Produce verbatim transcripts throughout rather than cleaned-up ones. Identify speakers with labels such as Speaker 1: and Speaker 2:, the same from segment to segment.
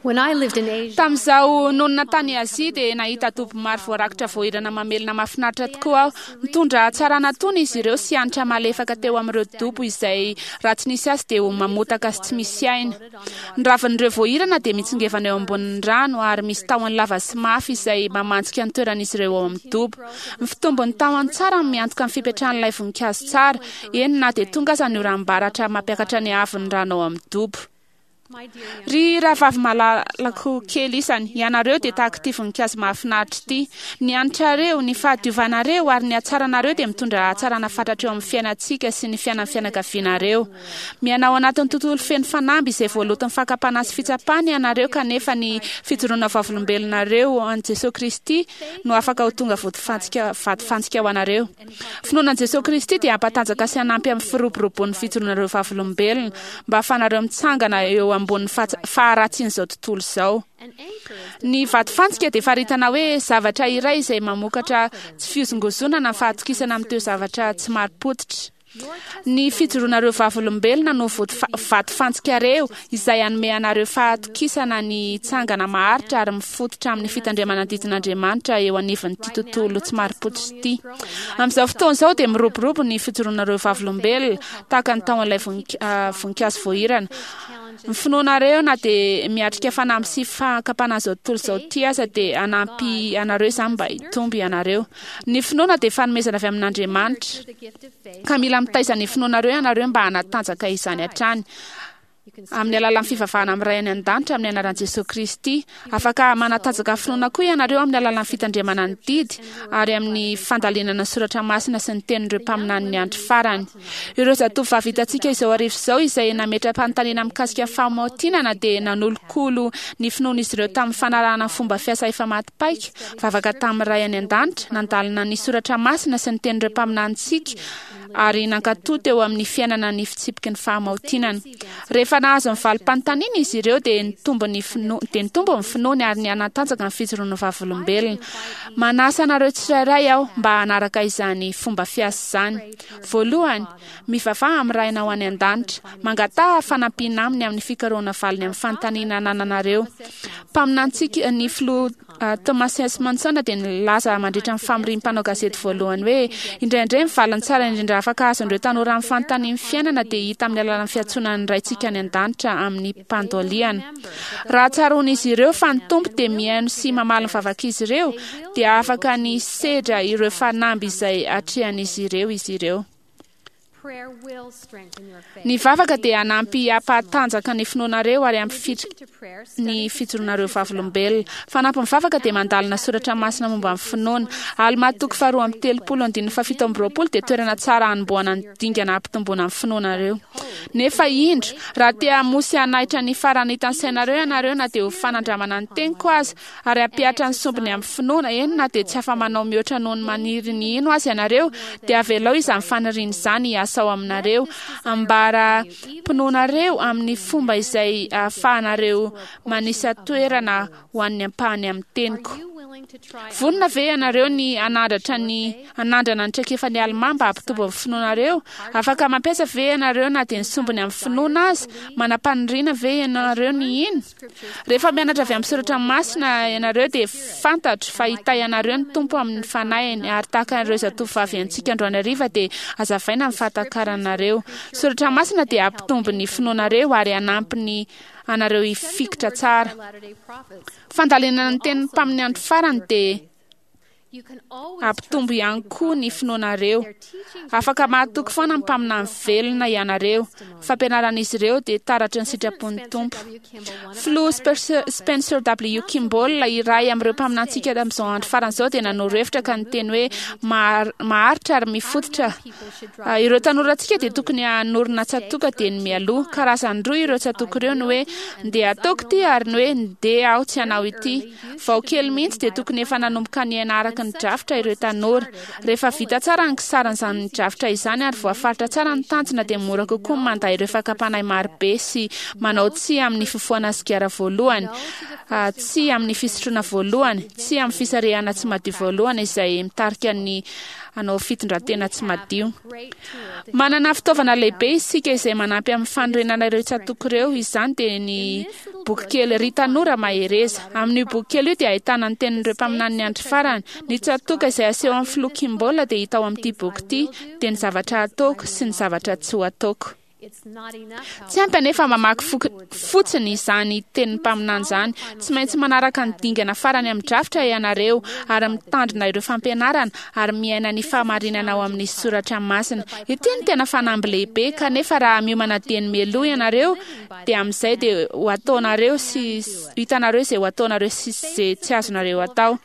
Speaker 1: When I lived in Asia,
Speaker 2: Tamin'izaho nonina tany Azia dia nahita dobo maro voarakitra voahirana mamelona mahafinaritra tokoa aho. Nitondra hatsarana tony izy ireo sy hanitra malefaka teo amin'ireo dobo izay raha tsy nisy azy dia ho mamotaka sy tsy misy aina. Ny ravin'ireo voahirana dia mitsingevana eo ambonin'ny rano ary misy tahony lava sy mafy izay mamantsika ny toeran'izy ireo ao amin'ny dobo. Ny fitombon'ny tahony tsara no miantoka ny fipetrahan'ilay voninkazo tsara, eny na dia tonga aza ny oram-baratra mampiakatra ny haavon'ny rano ao amin'ny dobo.
Speaker 1: my dear young
Speaker 2: Ry rahavavy malalako kely isany, ianareo dia tahaka ity voninkazo mahafinaritra ity. Ny hanitrareo, ny fahadiovanareo ary ny hatsaranareo dia mitondra hatsarana fatratra eo amin'ny fiainantsika sy ny fiainan'ny fianakavianareo. Miaina ao anatin'ny tontolo feno fanamby izay voaloton'ny fakam-panahy sy fitsapana ianareo, kanefa ny fijoroana vavolombelonareo an'i Jesosy Kristy no afaka ho tonga vodifantsika vatofantsika ho anareo. Finoana an'i Jesosy Kristy dia hampatanjaka sy hanampy amin'ny firoborobon'ny fijoroanareo vavolombelona mba hahafahanareo mitsangana eo ambonin'ny faha- faharatsian'izao tontolo izao.
Speaker 1: An anchor is
Speaker 2: Ny vatofantsika dia faritana hoe zavatra iray izay mamokatra tsy fihozongozonana ny fahatokisana amin'ireo zavatra tsy marim-pototra.
Speaker 1: Your
Speaker 2: Ny fijoroanareo vavolombelona no vody- vatofantsikareo izay hanome anareo fahatokisana ny tsangana maharitra ary mifototra amin'ny fitandremana ny didin'Andriamanitra eo anivon'ity tontolo tsy marim-pototra ity. Amin'izao fotoana izao dia miroborobo ny fijoroanareo vavolombelona tahaka ny tahon'ilay vonink- ah, voninkazo voahirana. Ny finoanareo na dia miatrika fanamby sy fakam-panahy izao tontolo izao ity aza dia hanampy anareo izany mba hitombo ianareo. Ny finoana dia fanomezana avy amin'Andriamanitra.
Speaker 1: the gift of faith.
Speaker 2: Ka mila mitaiza ny finoanareo ianareo mba hanatanjaka izany hatrany.
Speaker 1: You can
Speaker 2: Amin'ny alalan'ny fivavahana amin'ny Ray any an-danitra amin'ny anaran'i Jesosy Kristy. Afaka manatanjaka finoana koa ianareo amin'ny alalan'ny fitandremana ny didy ary amin'ny fandalinana ny soratra masina sy ny tenin'ireo mpaminanin'ny andro farany. Ireo zatovovavy hitantsika izao hariva izao izay nametra-panontaniana mikasika fahamaotinana dia nanolokolo ny finoan'izy ireo tamin'ny fanarahana ny fomba fiasa efa maty paika, vavaka tamin'ny Ray any an-danitra, nandalina ny soratra masina sy ny tenin'ireo mpaminanintsika ary nankatò teo amin'ny fiainana ny fitsipiky ny fahamaotinana. Rehefa nahazo ny valim-panontaniana izy ireo dia nitombo ny fino dia nitombo ny finoany ary nihanatanjaka ny fijoroana vavolombelona. Manasa anareo tsirairay aho mba hanaraka izany fomba fiasa izany. Voalohany, mivavaha amin'ny Rainao any an-danitra. Mangataha fanampiana aminy amin'ny fikarohana valiny amin'ny fanontaniana anananareo. Mpaminantsika ny filoha ah, Thomas S. Monson dia nilaza mandritra ny famorian'ny mpanao gazety voalohany hoe indraindray ny valiny tsara indrindra afaka azon'ireo tanora amin'ny fanontanian'ny fiainana dia hita amin'ny alalan'ny fiantsoana ny Raintsika any an-danitra amin'ny mpandoliana. Raha tsaroan'izy ireo fa ny Tompo dia mihaino sy mamaly ny vavak'izy ireo dia afaka ny sedra ireo fanamby izay atrehan'izy ireo izy ireo.
Speaker 1: Prayer will strengthen your faith.
Speaker 2: Ny vavaka dia hanampy hampatanjaka ny finoanareo ary hampifitrika
Speaker 1: To prayer,
Speaker 2: ny fijoroanareo vavolombelona. Fanampin'ny vavaka dia mandalina soratra masina momba ny finoana. Alma toko faharoa amby telopolo andininy fahafito amby roapolo dia toerana tsara hanombohana ny dingana hampitomboana ny finoanareo. Nefa indro, raha te hamoha sy hanaitra ny faranitan'ny sainareo ianareo na dia ho fanandramana ny teniko aza ary hampihatra ny sombiny amin'ny finoana, eny na dia tsy afa-manao mihoatra noho ny maniry ny hino aza ianareo, dia avelao izany faniriana izany hiasa ao aminareo. Ambara mpinoanareo amin'ny fomba izay ahafahanareo manisa toerana ho an'ny ampahany amin'ny teniko.
Speaker 1: Are you willing to try
Speaker 2: Vonona ve ianareo ny hanandratra ny hanandrana ny traikefan'ny Alma mba hampitombo ny finoanareo? Afaka mampiasa ve ianareo na dia ny sombiny amin'ny finoana aza? Manam-paniriana ve ianareo ny hino? Rehefa mianatra avy amin'ny soratra masina ianareo dia fantatro fa hitahy anareo ny Tompo amin'ny fanahiny ary tahaka an'ireo zatovovavy antsika androany hariva dia hazavaina ny fahatakaranareo. Soratra masina dia hampitombo ny finoanareo ary hanampy ny anareo hifikitra tsara.
Speaker 1: Latter-day prophets?
Speaker 2: Fandalinana ny tenin'ny mpamin'ny andro farany dia
Speaker 1: You can always
Speaker 2: hampitombo ihany koa ny finoanareo. Afaka mahatoky foana ny mpaminany velona ianareo. Fampianaran'izy ireo dia taratry ny sitrapon'ny Tompo. Filoha Spencer- Spencer W. Kimball iray amin'ireo mpaminantsika amin'izao andro farany izao dia nanoro hevitra ka niteny hoe mahar- maharitra ary mifototra. Ah, Ireo tanorantsika dia tokony hanorina tsatoka dia ny mialoha. Karazany roa ireo tsatoka ireo ny hoe ndeha ataoko ity ary ny hoe ndeha aho tsy hanao ity. Vao kely mihitsy dia tokony efa nanomboka niaina araka ny drafitra ireo tanora. Rehefa vita tsara ny kisaran'izany drafitra izany ary voafaritra tsara ny tanjona dia mora kokoa ny manda ireo fakam-panahy marobe sy manao tsia amin'ny fifohana sigara voalohany. Tsy amin'ny fisotroana voalohany, tsy amin'ny fisarihana tsy madio voalohany izay mitarika ny hanao fitondran-tena tsy madio. Manana fitaovana lehibe isika izay manampy amin'ny fanorenana ireo tsatòka ireo. Izany dia ny boky kely Ry Tanora Mahereza. Amin'io boky kely io dia ahitana ny tenin'ireo mpaminanin'ny andro farany. Ny tsatòka izay aseho amin'ny filoha Kimball dia hita ao amin'ity boky ity, dia ny zavatra ataoko sy ny zavatra tsy ho ataoko. Tsy ampy anefa mamaky fotsiny izany tenin'ny mpaminany izany. Tsy maintsy manaraka ny dingana farany amin'ny drafitra ianareo ary mitandrina ireo fampianarana ary miaina ny fahamarinana ao amin'ny soratra masina. Ity no tena fanamby lehibe, kanefa raha miomana dieny mialoha ianareo dia amin'izay dia ho ataonareo sy hitanareo izay ho ataonareo sy izay tsy azonareo atao.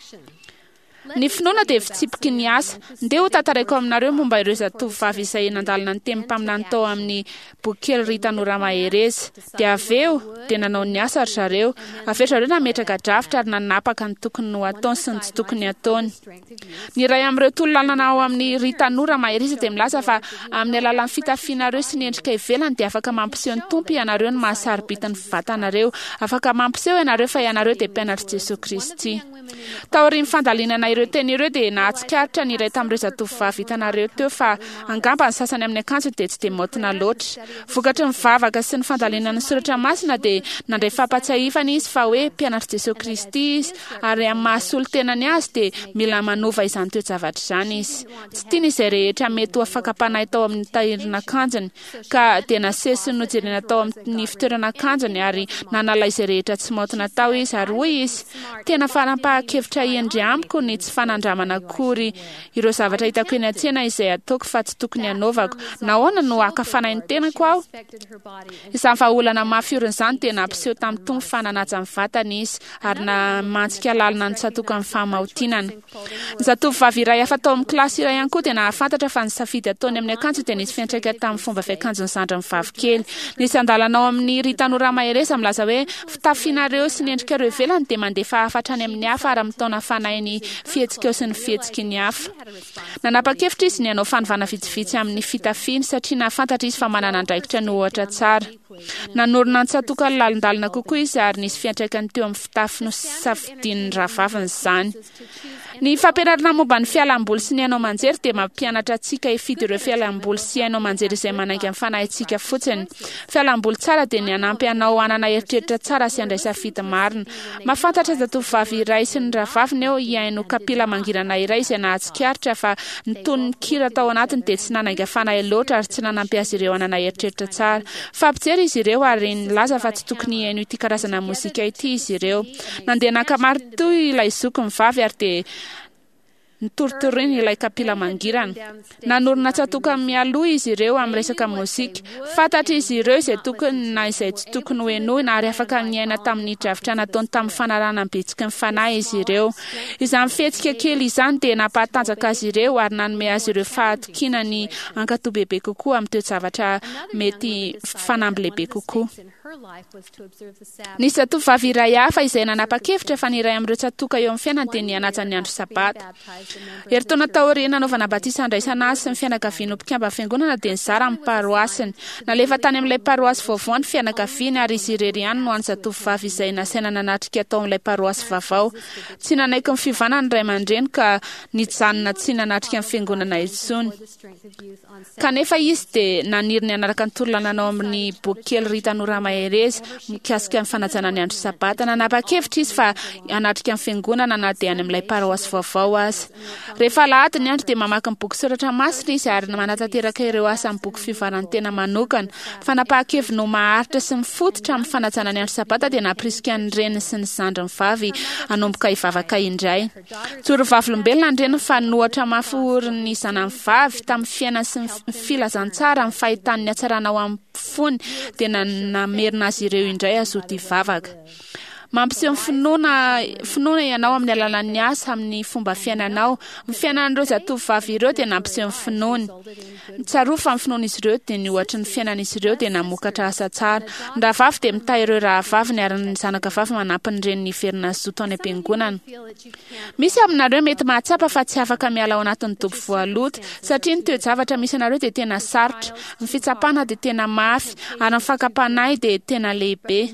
Speaker 2: Ny finoana dia fitsipiky ny asa. Ndeha ho tantaraiko aminareo momba ireo zatovovavy izay nandalina ny tenin'ny mpaminany tao amin'ny boky kely Ry Tanora Mahereza. Dia avy eo dia nanao ny asa ry zareo. Avy eo zareo nametraka drafitra ary nanapaka ny tokony ho ataony sy ny tsy tokony ataony. Ny iray amin'ireo torolalana ao amin'ny Ry Tanora Mahereza dia milaza fa amin'ny alalan'ny fitafianareo sy ny endrika ivelany dia afaka mampiseho ny Tompo ianareo ny mahasarobidy ny vatanareo. Afaka mampiseho ianareo fa ianareo dia mpianatr'i Jesoa Kristy. Taorian'ny fandalinana ireo teny ireo dia nahatsikaritra ny iray tamin'ireo zatovovavy hitanareo teo fa angamba ny sasany amin'ny akanjony dia tsy dia maotina loatra. Vokatry ny vavaka sy ny fandalinana ny soratra masina dia nandray fampatsiahivana izy fa hoe mpianatr'i Jesoa Kristy izy, ary amin'ny mahasolo tenany azy dia mila manova izany toe-javatra izany izy. Tsy tiany izay rehetra mety ho fakam-panahy tao amin'ny tahirin'akanjony, ka dia nasesiny nojerena tao amin'ny fitoeran'akanjony ary nanala izay rehetra tsy maotina tao izy, ary hoy izy: tena fanapahan-kevitra hendry amiko ny tsy fanandramana akory ireo zavatra hitako eny an-tsena izay ataoko fa tsy tokony hanaovako. Nahoana no haka fanahy ny tenako aho? Izany vahaolana mafy orina izany dia nampiseho tamin'ny Tompo fa nanaja ny vatany izy ary namantsika lalina ny tsatòka amin'ny fahamaotinana. Ny zatovovavy iray hafa tao amin'ny kilasy iray ihany koa dia nahafantatra fa ny safidy ataony amin'ny akanjo dia nisy fiantraika tamin'ny fomba fiakanjon'ny zandriny vavy kely. Nisy andalana ao amin'ny Ry Tanora Mahereza milaza hoe fitafianareo sy ny endrikareo ivelany dia mandefa hafatra any amin'ny hafa ary mitaona fanahy ny fihetsikao sy ny fihetsiky ny hafa. Nanapa-kevitra izy ny hanao fanovana vitsivitsy amin'ny fitafiany satria nahafantatra izy fa manana andraikitra ny ohatra tsara. Nanorina ny tsatòka lalindalina kokoa izy ary nisy fiantraikany teo amin'ny fitafy nosafidian'ny rahavaviny izany. Ny fampianarana momba ny fialamboly sy ny haino aman-jery dia mampianatra antsika hifidy ireo fialamboly sy haino aman-jery izay manainga ny fanahintsika fotsiny. Fialamboly tsara dia ny hanampy anao hanana eritreritra tsara sy handray safidy marina. Mahafantatra zatovovavy iray sy ny rahavaviny eo hihaino kapila mangirana iray izay nahatsikaritra fa ny tonon'ny kira tao anatiny dia tsy nanainga fanahy loatra ary tsy nanampy azy ireo hanana eritreritra tsara. Fampijery izy ireo ary nilaza fa tsy tokony hihaino ity karazana mozika ity izy ireo. Nandeha naka maritoa ilay zokiny vavy ary dia nitoritoriny ilay kapila mangirana. Nanorina tsatòka mialoha izy ireo amin'ny resaka mozika. Fantatra izy ireo izay tokony na izay tsy tokony ho henoina ary afaka niaina tamin'ny drafitra nataony tamin'ny fanarahana ny bitsiky ny fanahy izy ireo. Izany fihetsika kely izany dia nampahatanjaka azy ireo ary nanome azy ireo fahatokiana ny hankatò bebe kokoa amin'ny toe-javatra mety fanamby lehibe kokoa. Nisy zatovovavy iray hafa izay nanapa-kevitra fa ny iray amin'ireo tsatòka eo amin'ny fiainany dia ny hanaja ny andro sabata. Herintaona taorian'ny nanaovana batisa handraisana azy sy ny fianakaviany ho mpikambana fiangonana dia nizara amin'ny paroasiny. Nalefa tany amin'ilay paroasy vaovao ny fianakaviany ary izy irery ihany no hany zatovovavy izay nasaina nanatrika tao amin'ilay paroasy vaovao. Tsy nanaiky ny fiovana ny ray aman-dreny ka nijanona tsy nanatrika ny fiangonana intsony. Kanefa izy dia naniry ny hanaraka ny torolalana ao amin'ny boky kely Ry Tanora Mahereza mikasika ny fanajana ny andro sabata. Nanapa-kevitra izy fa hanatrika ny fiangonana na dia any amin'ilay paroasy vaovao aza. Rehefa alahady ny andro dia mamaky ny boky soratra masina izy ary manatanteraka ireo asa amin'ny boky fivoaran'ny tena manokana. Fanapahan-keviny ho maharitra sy mifototra amin'ny fanajana ny andro sabata dia nampirisika ny reniny sy ny zandriny vavy hanomboka hivavaka indray. Joro vavolombelona ny reniny fa nohatra mafy orin'ny zanany vavy tamin'ny fiainany sy ny filazantsara amin'ny fahitany ny hatsarana ao amin'ny fony dia namerina azy ireo indray hazoto hivavaka. Mampiseho ny finoana finoana ianao amin'ny alalan'ny asa amin'ny fomba fiainanao. Ny fiainan'ireo zatovovavy ireo dia nampiseho ny finoany. Tsarovy fa ny finoan'izy ireo dia ny ohatry ny fiainan'izy ireo dia namokatra asa tsara. Ny rahavavy dia mitahy ireo rahavaviny ary ny zanaka vavy manampy ny reniny hiverina hazoto any am-piangonana. Misy aminareo mety mahatsapa fa tsy afaka miala ao anatin'ny dobo voaloto satria ny toe-javatra misy anareo dia tena sarotra, ny fitsapana dia tena mafy ary ny fakam-panahy dia tena lehibe.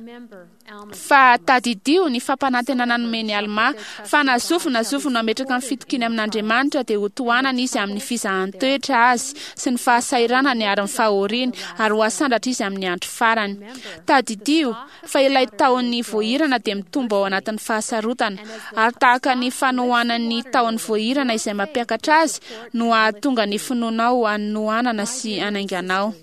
Speaker 2: Fa tadidio ny fampanantenana nomeny Alma fa na zovy na zovy no hametraka ny fitokiany amin'Andriamanitra dia ho tohanana izy amin'ny fizahan-toetra azy sy ny fahasahiranany ary ny fahoriany, ary ho asandratra izy amin'ny andro farany. Tadidio fa ilay tahon'ny voahirana dia mitombo ao anatin'ny fahasarotana, ary tahaka ny fanohanan'ny tahon'ny voahirana izay mampiakatra azy no hahatonga ny finoanao hanohanana sy hanainganao.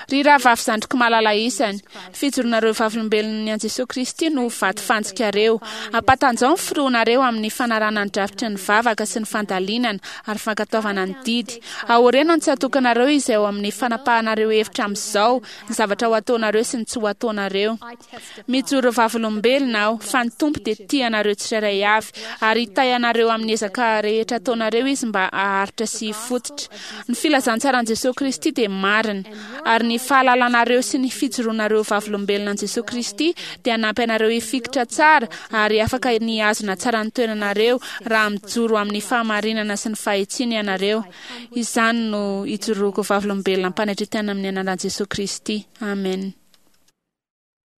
Speaker 2: Ry rahavavy zandriko malala isany, fijoronareo vavolombelon'ny an'i Jesosy Kristy no vatofantsikareo. Ampatanjao ny firoanareo amin'ny fanarahana ny drafitry ny vavaka sy ny fandalinana ary fankatoavana ny didy. Aoreno ny tsatokanareo izay ao amin'ny fanapahanareo hevitra amin'izao, ny zavatra ho ataonareo sy ny tsy ho ataonareo. Mijoro vavolombelona aho fa ny Tompo dia tia anareo tsirairay avy ary hitahy anareo amin'ny ezaka rehetra ataonareo izy mba haharitra sy hifototra. Ny filazantsaran'i Jesosy Kristy dia marina, ary ny fahalalanareo sy ny fijoroanareo vavolombelona an'i Jesosy Kristy dia hanampy anareo hifikitra tsara ary afaka ny hihazona tsara ny toeranareo raha mijoro amin'ny fahamarinana sy ny fahitsiana ianareo. Izany no ijoroako vavolombelona am-panetren-tena amin'ny anaran'i Jesosy Kristy. Amen.